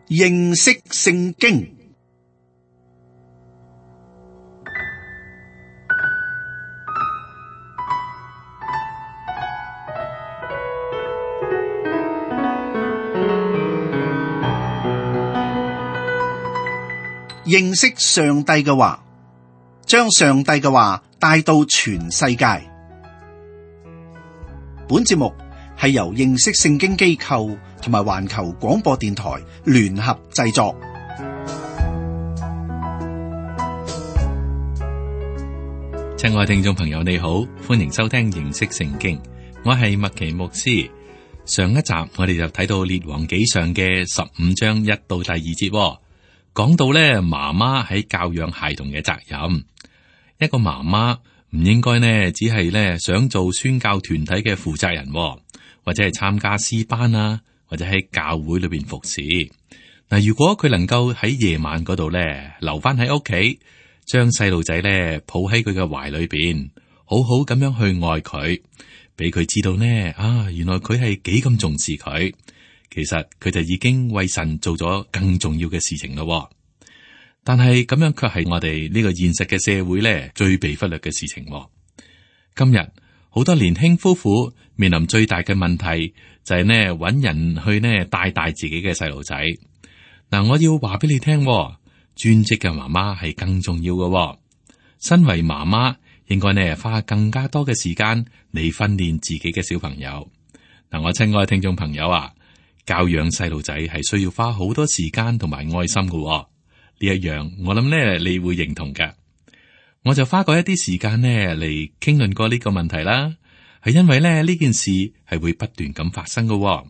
認識聖經。認識上帝嘅話，將上帝嘅話帶到全世界。本節目係由認識聖經機構同埋環球廣播電台聯合製作。親愛聽眾朋友，你好，歡迎收聽認識聖經。我係麥奇牧師。上一集我哋就睇到列王紀上嘅15章1到第2節，講到咧媽媽喺教養孩童嘅責任。一個媽媽唔應該呢只係咧想做宣教團體嘅負責人，或者係參加詩班啊，或者喺教會裏邊服侍。嗱，如果佢能夠喺夜晚嗰度咧留翻喺屋企，將細路仔咧抱喺佢嘅懷裏邊，好好咁樣去愛佢，俾佢知道呢，原來佢係幾咁重視佢。其實佢就已經為神做咗更重要嘅事情咯。但係咁樣卻係我哋呢個現實嘅社會咧最被忽略嘅事情。今日好多年輕夫婦面臨最大嘅問題就係呢，搵人去呢帶大自己嘅細路仔。嗱，我要話俾你聽，專職嘅媽媽係更重要嘅。身為媽媽，應該呢花更加多嘅時間嚟訓練自己嘅小朋友。嗱，我親愛嘅聽眾朋友啊，教養細路仔係需要花好多時間同埋愛心嘅。呢一樣我諗呢你會認同嘅。我就花過一啲時間呢嚟傾論過呢個問題啦。係因為呢件事係會不斷咁發生嘅。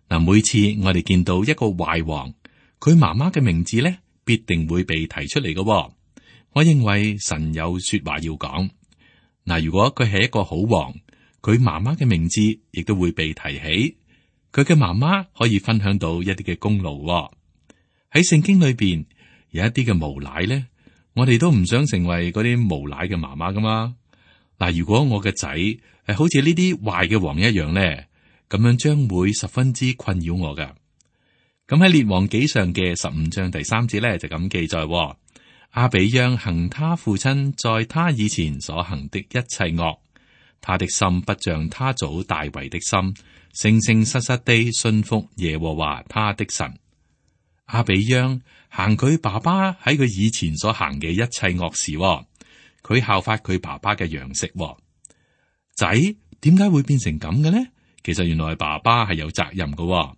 嗱，每次我哋見到一個壞王，佢媽媽嘅名字呢必定會被提出嚟嘅。我認為神有說話要講。嗱，如果佢係一個好王，佢媽媽嘅名字亦都會被提起。佢嘅媽媽可以分享到一啲嘅功勞。喺聖經裏邊有一啲嘅無賴咧，我哋都唔想成為嗰啲無賴嘅媽媽噶嘛。嗱，如果我嘅仔係好似呢啲壞嘅王一樣咧，咁樣將會十分之困擾我噶。咁喺列王紀上嘅15章第3節咧就咁記載：亞比央行他父親在他以前所行的一切惡，他的心不像他祖大衛的心，誠誠實實地信服耶和華他的神。亞比央行佢爸爸喺佢以前所行嘅一切惡事，佢效法佢爸爸嘅樣式。仔點解會變成咁嘅呢？其實原來爸爸係有責任嘅，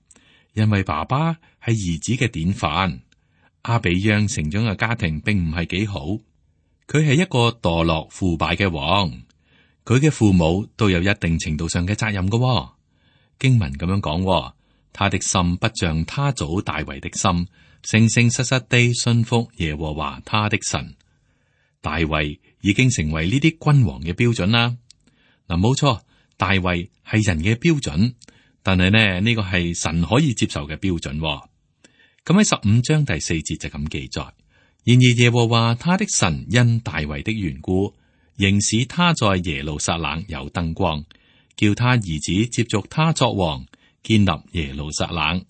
因為爸爸係兒子嘅典範。亞比央成長嘅家庭並唔係幾好，佢係一個墮落腐敗嘅王，佢嘅父母都有一定程度上嘅責任嘅。經文咁樣講，他的心不像他祖大衛的心，誠誠實實地信服耶和華他的神。大衛已經成為呢啲君王嘅標準啦。嗱，冇錯，大衛係人嘅標準，但係呢個係神可以接受嘅標準。咁喺15章第4節就咁記載：然而耶和華他的神因大衛的緣故，仍使他在耶路撒冷有燈光，叫他兒子接續他作王，建立耶路撒冷。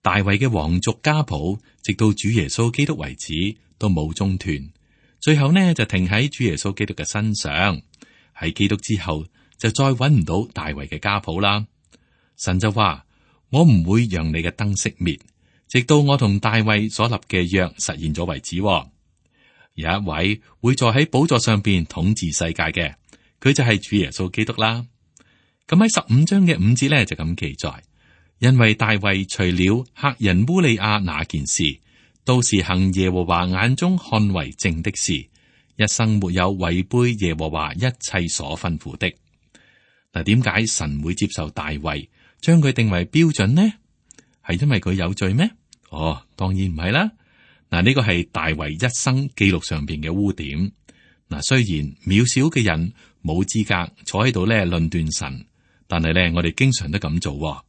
大衛嘅皇族家譜，直到主耶穌基督為止都冇中斷，最後呢就停喺主耶穌基督嘅身上。喺基督之後就再揾唔到大衛嘅家譜啦。神就話：我唔會讓你嘅燈熄滅，直到我同大衛所立嘅約實現咗為止。有一位會坐喺寶座上邊統治世界嘅，佢就係主耶穌基督啦。咁喺15章嘅5節咧就咁記載：因為大衛除了赫人烏利亞那件事，都是行耶和華眼中看為正的事，一生沒有違背耶和華一切所吩咐的。嗱，點解神會接受大衛，將佢定為標準呢？係因為佢有罪咩？當然唔係啦。嗱，呢個係大衛一生記錄上邊嘅污點。嗱，雖然渺小嘅人冇資格坐喺度咧論斷神，但係咧我哋經常都咁做。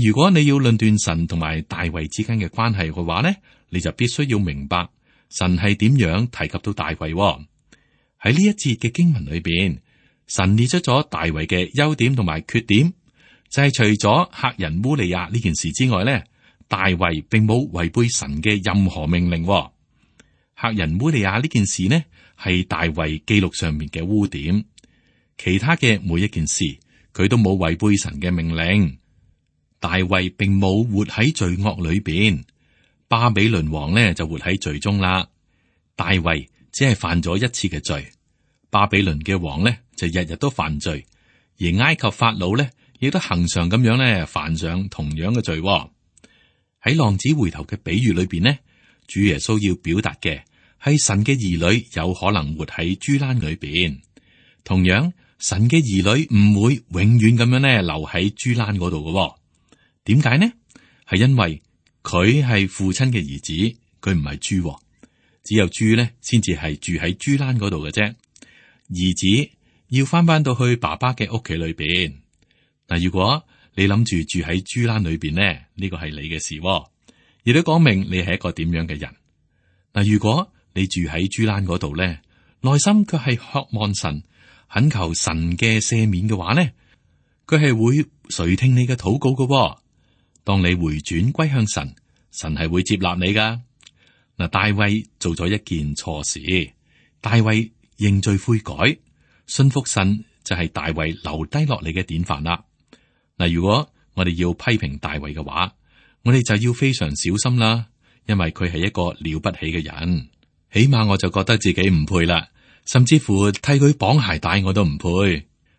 如果你要論斷神同埋大衛之間嘅關係嘅話咧，你就必須要明白神係點樣提及到大衛。喺呢一節嘅經文裏邊，神列出咗大衛嘅優點同埋缺點，就係除咗赫人烏利亞呢件事之外咧，大衛並冇違背神嘅任何命令。赫人烏利亞呢件事呢，係大衛記錄上面嘅污點。其他嘅每一件事，佢都冇違背神嘅命令。大衛並冇活喺罪惡裏邊，巴比倫王呢就活喺罪中啦。大衛只係犯咗一次嘅罪，巴比倫嘅王呢就日日都犯罪，而埃及法老呢亦都恒常咁樣呢犯上同樣嘅罪。喺浪子回頭嘅比喻裏邊呢，主耶穌要表達嘅係神嘅兒女有可能活喺豬欄裏邊，同樣神嘅兒女唔會永遠咁樣呢留喺豬欄嗰度嘅。點解呢？係因為佢係父親嘅兒子，佢唔係豬，只有豬呢先至係住喺豬欄嗰度嘅啫。兒子要翻到去爸爸嘅屋企裏邊。嗱，如果你諗住住喺豬欄裏邊呢，呢個係你嘅事，亦都講明你係一個點樣嘅人。嗱，如果你住喺豬欄嗰度呢，內心卻係渴望神、懇求神嘅赦免嘅話呢，佢係會垂聽你嘅禱告嘅。當你回轉歸向神，神係會接納你噶。嗱，大衛做咗一件錯事，大衛認罪悔改，信服神就係大衛留低落嚟嘅典範啦。嗱，如果我哋要批評大衛嘅話，我哋就要非常小心啦，因為佢係一個了不起嘅人。起碼我就覺得自己唔配啦，甚至乎替佢綁鞋帶我都唔配。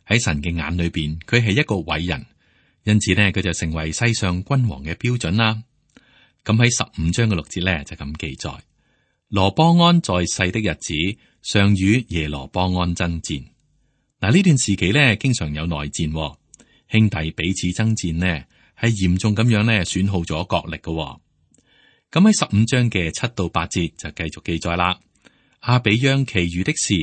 喺神嘅眼裏邊，佢係一個偉人。因此呢，佢就成為世上君王嘅標準啦。咁喺15章嘅6節呢，就咁記載：羅波安在世的日子，常與耶羅波安爭戰。嗱，呢段時期呢，經常有內戰，兄弟彼此爭戰呢，係嚴重咁樣呢損耗咗國力嘅。咁喺15章嘅7到8節就繼續記載啦。亞比央其餘的事，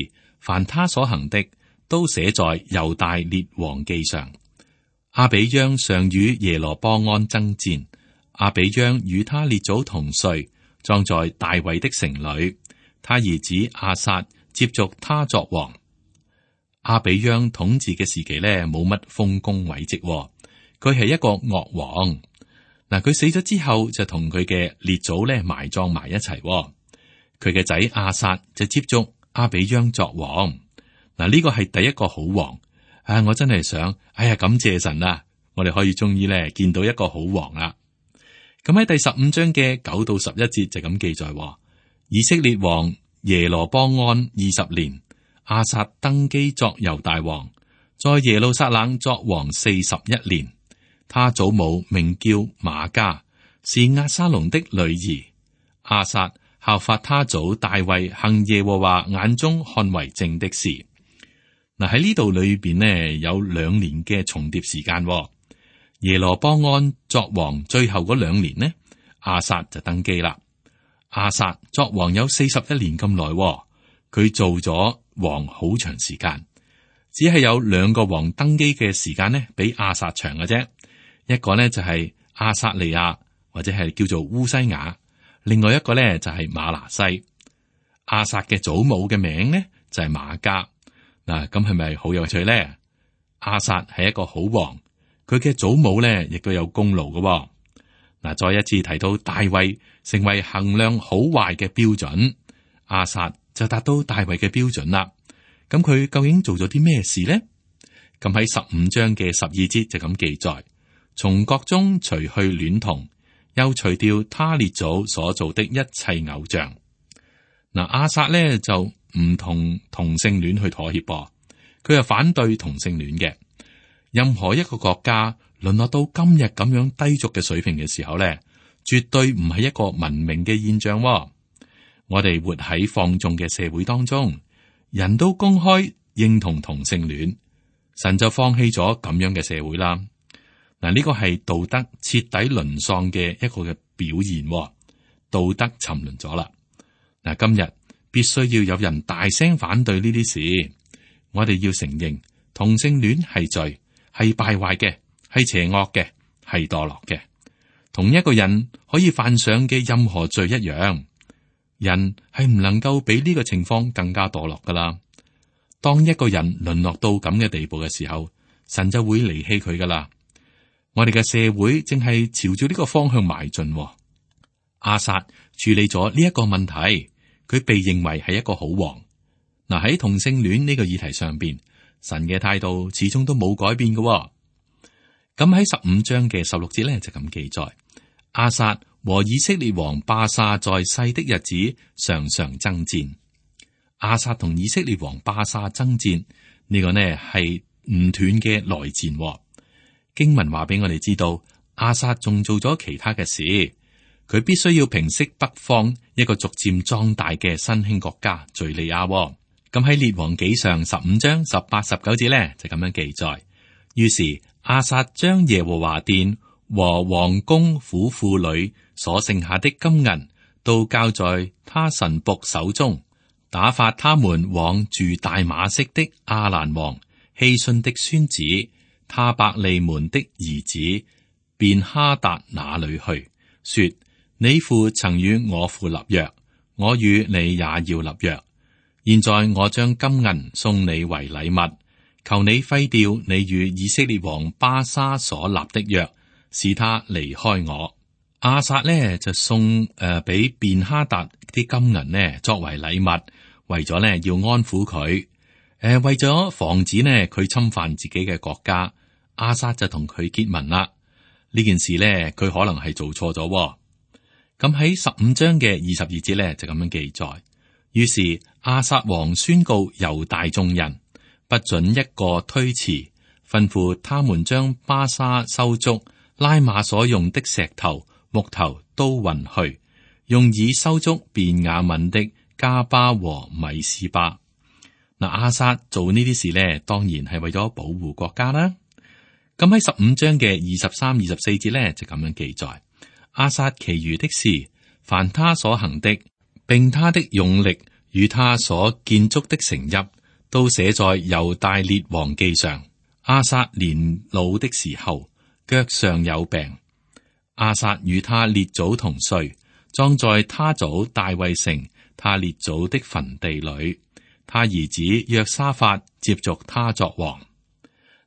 凡他所行的，都寫在猶大列王記上。亞比央常與耶羅波安爭戰，亞比央與他列祖同睡，葬在大衛的城裏。他兒子亞撒接續他作王。亞比央統治嘅時期呢，冇乜豐功偉績，佢係一個惡王。嗱，佢死咗之後就同佢嘅列祖呢埋葬埋一齊。佢嘅仔亞撒就接續亞比央作王。嗱，呢個係第一個好王。我真係想，感謝神啊！我哋可以終於咧見到一個好王啦。咁喺第15章嘅9到11節就咁記載：以色列王耶羅波安20年，亞撒登基作猶大王，在耶路撒冷作王41年。他祖母名叫瑪迦，是押沙龍的女兒。亞撒效法他祖大衛，行耶和華眼中看為正的事。嗱，喺呢度裏邊呢，有2年嘅重疊時間。耶羅波安作王最後嗰2年呢，亞撒就登基啦。亞撒作王有41年咁耐，佢做咗王好長時間，只係有2個王登基嘅時間呢，比亞撒長嘅啫。一個呢就係亞撒利亞，或者係叫做烏西雅；另外一個呢就係馬拿西。亞撒嘅祖母嘅名呢就係瑪迦。嗱，咁係咪好有趣咧？亞撒係一個好王，佢嘅祖母咧亦都有功勞嘅。嗱，再一次提到大衛成為衡量好壞嘅標準，亞撒就達到大衛嘅標準啦。咁佢究竟做咗啲咩事呢？咁喺15章嘅12節就咁記載：從國中除去戀童，又除掉他列祖所做的一切偶像。嗱，亞撒咧就唔同同性戀去妥協噃，佢係反對同性戀嘅。任何一個國家淪落到今日咁樣低俗嘅水平嘅時候咧，絕對唔係一個文明嘅現象。我哋活喺放縱嘅社會當中，人都公開認同同性戀，神就放棄咗咁樣嘅社會啦。嗱，呢個係道德徹底淪喪嘅一個嘅表現，道德沉淪咗啦。嗱，今日必須要有人大聲反對呢啲事。我哋要承認同性戀係罪，係敗壞嘅，係邪惡嘅，係墮落嘅。同一個人可以犯上嘅任何罪一樣，人係唔能夠比呢個情況更加墮落噶啦。當一個人淪落到咁嘅地步嘅時候，神就會離棄佢噶啦。我哋嘅社會正係朝住呢個方向邁進。亞撒處理咗呢一個問題，佢被認為係一個好王。嗱，喺同性戀呢個議題上邊，神嘅態度始終都冇改變嘅。咁喺15章嘅16節咧就咁記載：亞撒和以色列王巴沙在世的日子常常爭戰。亞撒同以色列王巴沙爭戰，呢個呢係唔斷嘅內戰。經文話俾我哋知道，亞撒仲做咗其他嘅事，佢必須要平息北方一個逐漸壯大嘅新興國家敘利亞。咁喺列王紀上15章18、19節呢，就咁樣記載。於是亞撒將耶和華殿和王宮府庫裏所剩下的金銀都交在他臣僕手中，打發他們往住大馬色的亞蘭王希遜的孫子他伯利門的兒子便哈達那裏去，說：你父曾與我父立約，我與你也要立約。現在我將金銀送你為禮物，求你廢掉你與以色列王巴沙所立的約，使他離開我。亞撒呢就送俾便哈達啲金銀呢作為禮物，為咗呢要安撫佢。為咗防止呢佢侵犯自己嘅國家，亞撒就同佢結盟啦。呢件事呢佢可能係做錯咗。咁喺15章嘅22節呢就咁樣記載。於是亞撒王宣告猶大眾人，不准一個推辭，吩咐他們將巴沙收足，拉馬所用的石頭、木頭都運去，用以收足便雅憫的加巴和米斯巴。嗱，亞撒做呢啲事呢，當然係為咗保護國家啦。咁喺15章嘅23、24節呢，就咁樣記載：亞撒其餘的事，凡他所行的，並他的勇力與他所建築的城邑，都寫在猶大列王記上。亞撒年老的時候，腳上有病。亞撒與他列祖同睡，葬在他祖大衛城他列祖的墳地裏。他兒子約沙法接續他作王。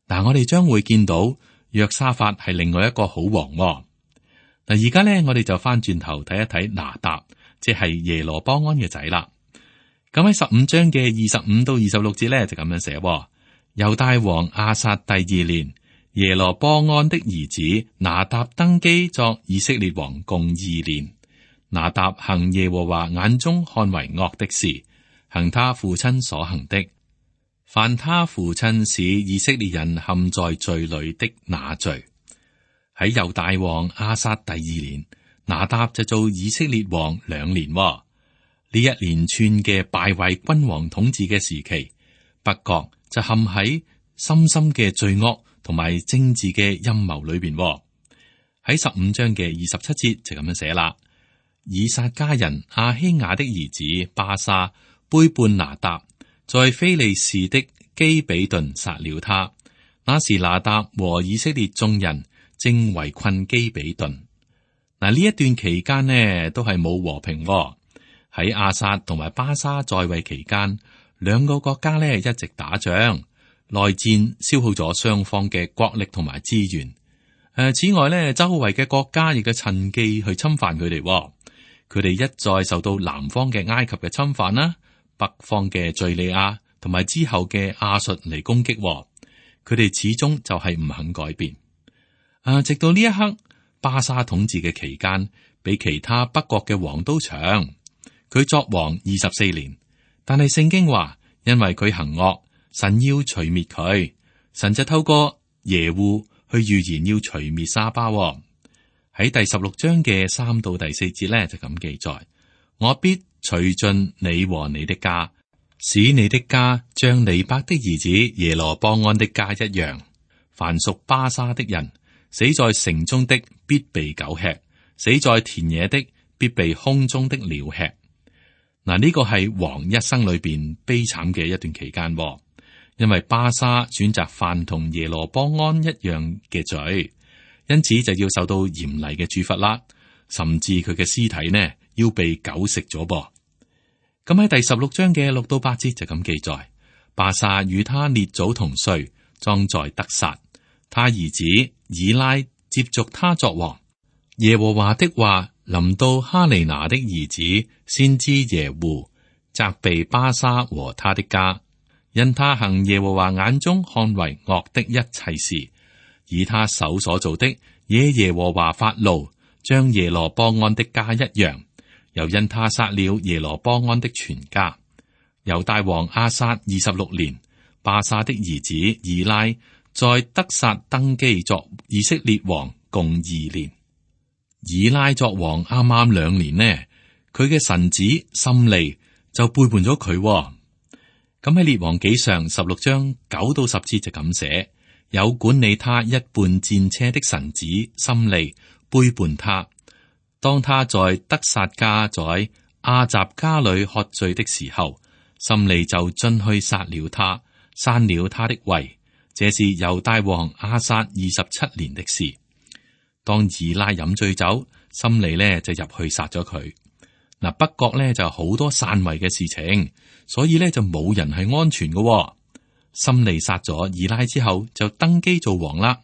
嗱，我哋將會見到約沙法係另外一個好王。嗱，而家呢，我哋就翻轉頭睇一睇拿答，即係耶羅波安嘅仔啦。咁喺15章嘅25到26節呢，就咁樣寫：猶大王亞撒第2年，耶羅波安的兒子拿答登基作以色列王共2年。拿答行耶和華眼中看為惡的事，行他父親所行的，犯他父親使以色列人陷在罪裏的那罪。喺猶大王亞撒第2年，拿答就做以色列王2年。呢一連串嘅敗壞君王統治嘅時期，北國就陷喺深深嘅罪惡同埋政治嘅陰謀裏邊。喺15章嘅27節就咁樣寫啦：以撒家人亞希雅的兒子巴沙背叛拿答，在非利士的基比頓殺了他。那時拿答和以色列眾人正圍困基比頓。嗱，呢一段期間呢都係冇和平。喺亞撒同埋巴沙在位期間，兩個國家呢一直打仗，內戰消耗咗雙方嘅國力同埋資源。此外呢，周圍嘅國家亦都趁機去侵犯佢哋。佢哋一再受到南方嘅埃及嘅侵犯啦，北方嘅敘利亞同埋之後嘅亞述嚟攻擊。佢哋始終就係唔肯改變。直到呢一刻，巴沙統治嘅期間比其他北國嘅王都長。佢作王24年，但係聖經話，因為佢行惡，神要除滅佢，神就透過耶戶去預言要除滅沙巴。喺第16章嘅3到第4節咧就咁記載：我必除盡你和你的家，使你的家像尼伯的兒子耶羅波安的家一樣。凡屬巴沙的人，死在城中的必被狗吃，死在田野的必被空中的鳥吃。嗱，呢個係王一生裏邊悲慘嘅一段期間，因為巴沙選擇犯同耶羅波安一樣嘅罪，因此就要受到嚴厲嘅處罰啦，甚至佢嘅屍體呢要被狗食咗噃。咁喺第16章嘅6到8節就咁記載：巴沙與他列祖同睡，葬在得撒，他兒子以拉接續他作王。耶和華的話臨到哈利拿的兒子先知耶戶，責備巴沙和他的家，因他行耶和華眼中看為惡的一切事，以他手所做的惹耶和華發怒，將耶羅波安的家一樣，又因他殺了耶羅波安的全家。猶大王亞撒26年，巴沙的兒子以拉在得撒登基作以色列王，共2年。以拉作王啱啱2年呢，佢嘅臣子心利就背叛咗佢。咁喺列王紀上16章9到10節就咁寫：有管理他一半戰車的臣子心利背叛他，當他在得撒家在亞雜家裏喝醉的時候，心利就進去殺了他，刪了他的位。這是猶大王亞撒27年的事。當以拉飲醉酒，心利呢就入去殺咗佢。嗱，北國呢就好多篡位嘅事情，所以呢就冇人係安全嘅。心利殺咗以拉之後，就登基做王啦。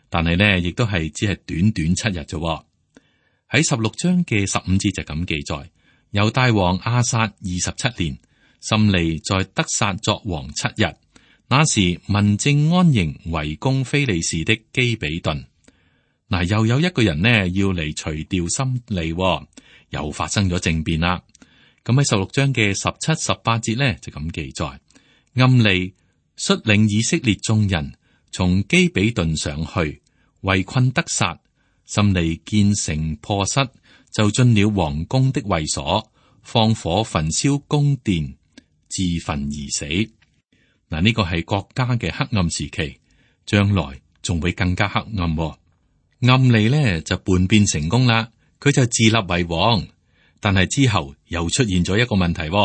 但係呢，亦都係只係短短7日啫。喺16章嘅15節就咁記載：猶大王亞撒27年，心利在得撒作王7日。那時民正安營圍攻非利士的基比頓。嗱，又有一個人呢要嚟除掉心利，又發生咗政變啦。咁喺16章嘅17、18節呢就咁記載：暗利率領以色列眾人從基比頓上去圍困得撒，心利見城破失，就進了王宮的衛所，放火焚燒宮殿，自焚而死。嗱，呢個係國家嘅黑暗時期，將來仲會更加黑暗。暗利呢就叛變成功啦，佢就自立為王，但係之後又出現咗一個問題。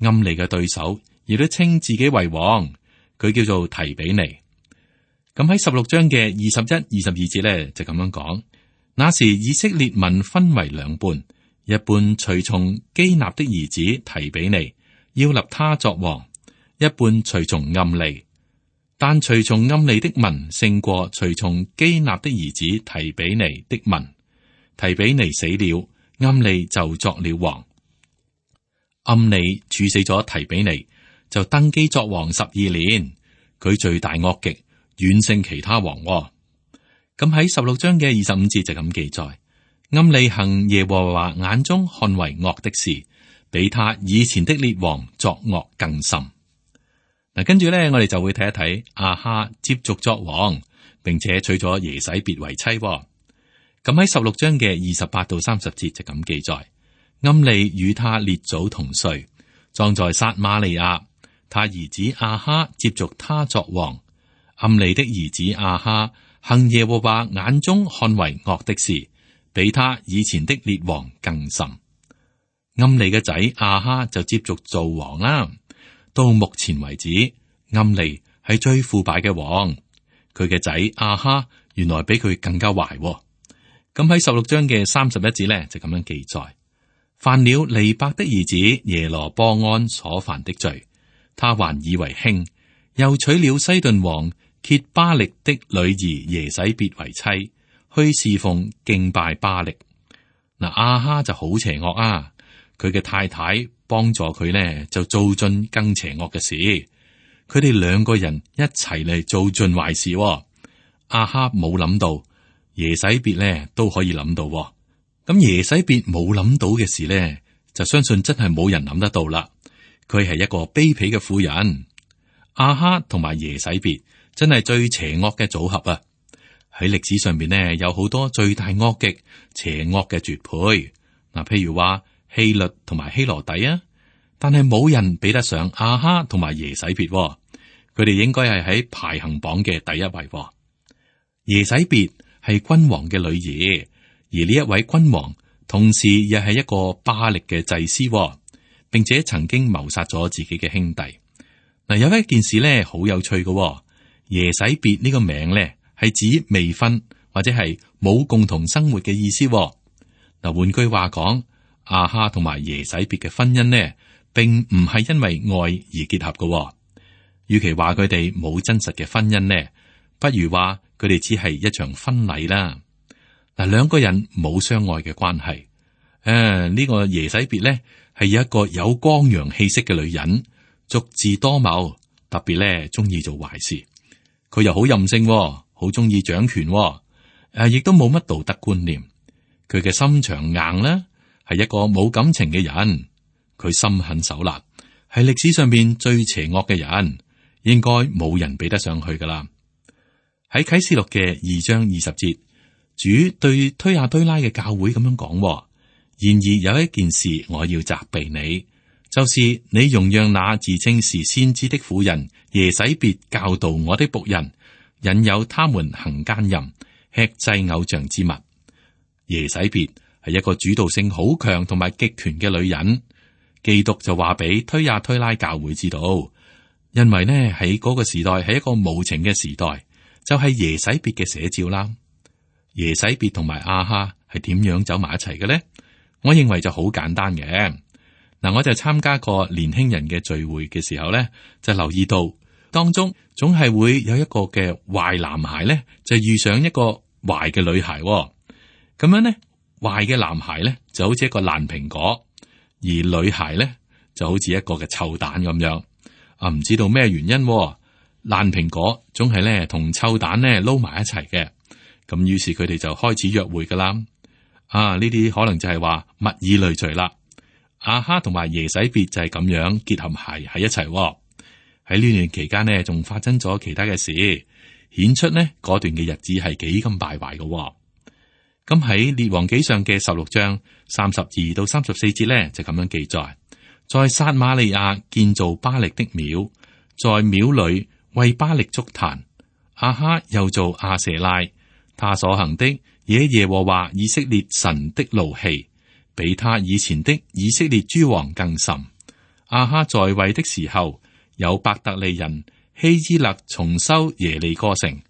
暗利嘅對手亦都稱自己為王，佢叫做提比尼。咁喺16章嘅21、22節呢就咁樣講：那時以色列民分為2半，一半隨從基納的兒子提比尼，要立他作王；一半隨從暗利，但隨從暗利的民勝過隨從基納的兒子提比尼的民。提比尼死了，暗利就作了王。暗利處死咗提比尼，就登基作王12年。佢罪大惡極，遠勝其他王。咁喺16章嘅25節就咁記載：暗利行耶和華眼中看為惡的事，比他以前的列王作惡更甚。嗱，跟住咧，我哋就會睇一睇亞哈接續作王，並且娶咗耶洗別為妻。咁喺16章嘅28到30節就咁記載：暗利與他列祖同睡，葬在撒瑪利亞。他兒子亞哈接續他作王。暗利的兒子亞哈行耶和華眼中看為惡的事，比他以前的列王更甚。暗利嘅仔亞哈就接續做王啦。到目前為止，暗利係最腐敗嘅王。佢嘅仔亞哈原來比佢更加壞。咁喺16章嘅31節呢，就咁樣記載：犯了尼伯的兒子耶羅波安所犯的罪，他還以為輕，又娶了西頓王歇巴力的女兒耶洗別為妻，去侍奉敬拜巴力。嗱，亞哈就好邪惡啊！佢嘅太太幫助佢呢，就做盡更邪惡嘅事。佢哋2個人一齊嚟做盡壞事。亞哈冇諗到，耶洗別呢都可以諗到。咁耶洗別冇諗到嘅事呢，就相信真係冇人諗得到啦。佢係一個卑鄙嘅婦人。亞哈同埋耶洗別真係最邪惡嘅組合啊！喺歷史上面呢，有好多罪大惡極、邪惡嘅絕配。嗱，譬如話希律同埋希羅底啊，但係冇人比得上亞哈同埋耶洗別。佢哋應該係喺排行榜嘅第一位。耶洗別係君王嘅女兒，而呢一位君王同時亦係一個巴力嘅祭司，並且曾經謀殺咗自己嘅兄弟。嗱，有一件事咧好有趣嘅，耶洗別呢個名咧係指未婚或者係冇共同生活嘅意思。嗱，換句話講，亞哈同埋耶洗別嘅婚姻呢，並唔係因為愛而結合嘅。與其話佢哋冇真實嘅婚姻呢，不如話佢哋只係一場婚禮啦。嗱，兩個人冇相愛嘅關係。呢個耶洗別咧係一個有光陽氣息嘅女人，足智多謀，特別咧中意做壞事。佢又好任性，好中意掌權，亦都冇乜道德觀念。佢嘅心腸硬啦，係一個冇感情嘅人。佢心狠手辣，係歷史上邊最邪惡嘅人，應該冇人比得上去噶啦。喺啟示錄嘅2章20節，主對推雅推拉嘅教會咁樣講：然而有一件事我要責備你，就是你容讓那自稱是先知的婦人耶洗別教導我的僕人，引誘他們行奸淫，吃祭偶像之物。耶洗別係一個主導性好強同埋極權嘅女人。基督就話俾推雅推拉教會知道，因為呢喺嗰個時代係一個無情嘅時代，就係耶洗別嘅寫照啦。耶洗別同埋亞哈係點樣走埋一齊嘅呢？我認為就好簡單嘅。嗱，我就參加過年輕人嘅聚會嘅時候呢，就留意到當中總係會有一個嘅壞男孩呢，就遇上一個壞嘅女孩。咁樣呢，壞嘅男孩呢就好似一個爛蘋果。而女孩呢就好似一個嘅臭蛋咁樣，唔知道咩原因，爛蘋果總係咧同臭蛋咧撈埋一齊嘅，咁於是佢哋就開始約會噶啦。呢啲可能就係話物以類聚啦。亞哈同埋耶洗別就係咁樣結合喺一齊。喺呢段期間呢，仲發生咗其他嘅事，顯出呢嗰段嘅日子係幾咁敗壞嘅。咁喺列王紀上嘅16章32到34節咧，就咁樣記載：在撒瑪利亞建造巴力的廟，在廟裏為巴力築壇。亞哈又做亞舍拉，他所行的惹耶和華以色列神的怒氣，比他以前的以色列諸王更甚。亞哈在位的時候，有伯特利人希伊勒重修耶利哥城，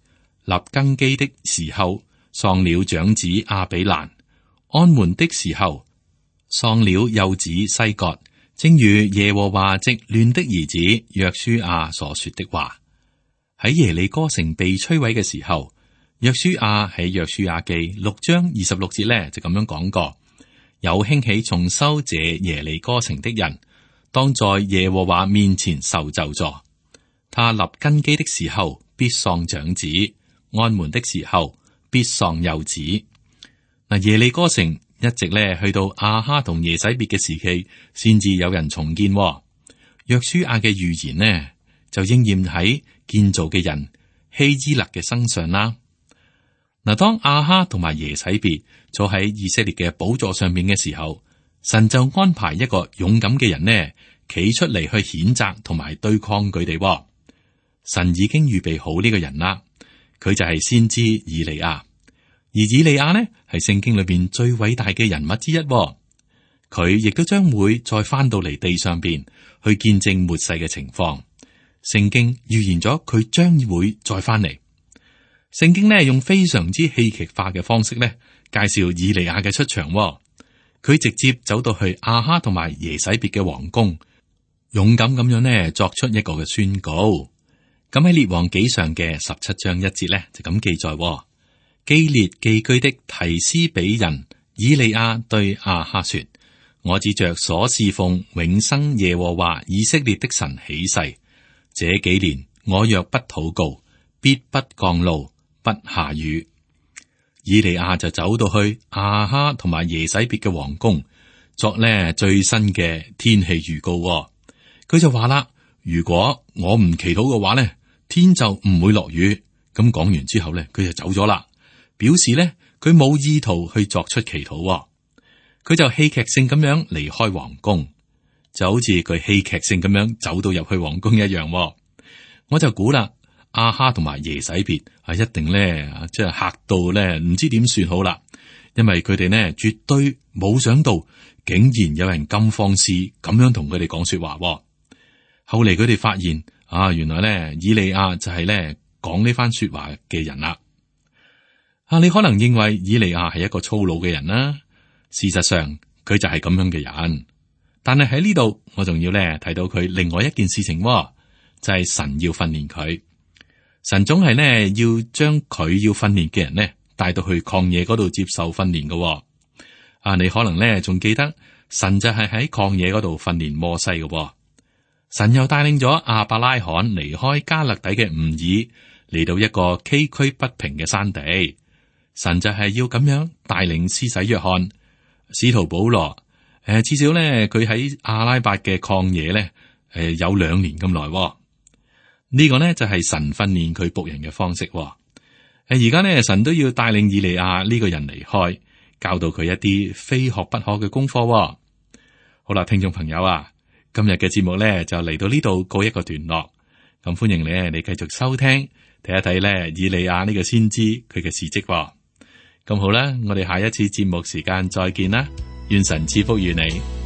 立根基的時候，喪了長子亞比蘭；安門的時候，喪了幼子西割，正如耶和華藉嫩的兒子約書亞所說的話。喺耶利哥城被摧毀嘅時候，約書亞喺約書亞記6章26節咧就咁樣講過：有興起重修這耶利哥城的人，當在耶和華面前受咒詛。他立根基的時候，必喪長子；安門的時候，必喪幼子。嗱，耶利哥城一直咧去到亞哈同耶洗別嘅時期，先至有人重建。約書亞嘅預言呢，就應驗喺建造嘅人希伊勒嘅身上啦。嗱，當亞哈同埋耶洗別坐喺以色列嘅寶座上面嘅時候，神就安排一個勇敢嘅人呢，企出嚟去譴責同埋對抗佢哋。神已經預備好呢個人啦。佢就係先知以利亞，而以利亞呢係聖經裏邊最偉大嘅人物之一。佢亦都將會再翻到嚟地上邊去見證末世嘅情況。聖經預言咗佢將會再翻嚟。聖經呢用非常之戲劇化嘅方式呢介紹以利亞嘅出場。佢直接走到去亞哈同埋耶洗別嘅皇宮，勇敢咁樣呢作出一個嘅宣告。咁喺列王紀上嘅17章1節咧，就咁記載：基列寄居的提斯比人以利亞對亞哈說：我指着所侍奉永生耶和華以色列的神起誓，這幾年我若不禱告，必不降露，不下雨。以利亞就走到去亞哈同埋耶洗別嘅皇宮，作呢最新嘅天氣預告。佢就話啦：如果我唔祈禱嘅話呢，天就唔會落雨。咁講完之後呢，佢就走咗啦，表示呢，佢冇意圖去作出祈禱。佢就戲劇性咁樣離開皇宮，就好似佢戲劇性咁樣走到入去皇宮一樣。我就估啦，亞哈同埋耶洗別一定呢，即係嚇到呢，唔知點算好啦，因為佢哋呢絕對冇想到，竟然有人咁放肆咁樣同佢哋講說話。後嚟佢哋發現原來咧以利亞就係咧講呢番說話嘅人啦。你可能認為以利亞係一個粗魯嘅人啦，事實上佢就係咁樣嘅人。但係喺呢度，我仲要咧睇到佢另外一件事情，就係神要訓練佢。神總係呢要將佢要訓練嘅人呢帶到去曠野嗰度接受訓練嘅。你可能咧仲記得神就係喺曠野嗰度訓練摩西嘅。神又帶領咗亞伯拉罕離開加勒底嘅吾爾，嚟到一個崎嶇不平嘅山地。神就係要咁樣帶領施洗約翰、使徒保羅。至少咧佢喺阿拉伯嘅曠野咧，有2年咁耐。呢個呢就係神訓練佢僕人嘅方式。而家呢，神都要帶領以利亞呢個人離開，教導佢一啲非學不可嘅功課。好啦，聽眾朋友啊，今日嘅節目呢就嚟到呢度告一個段落。咁歡迎你繼續收聽，睇一睇呢以利亞呢個先知佢嘅事蹟。咁好啦，我哋下一次節目時間再見啦，願神賜福與你。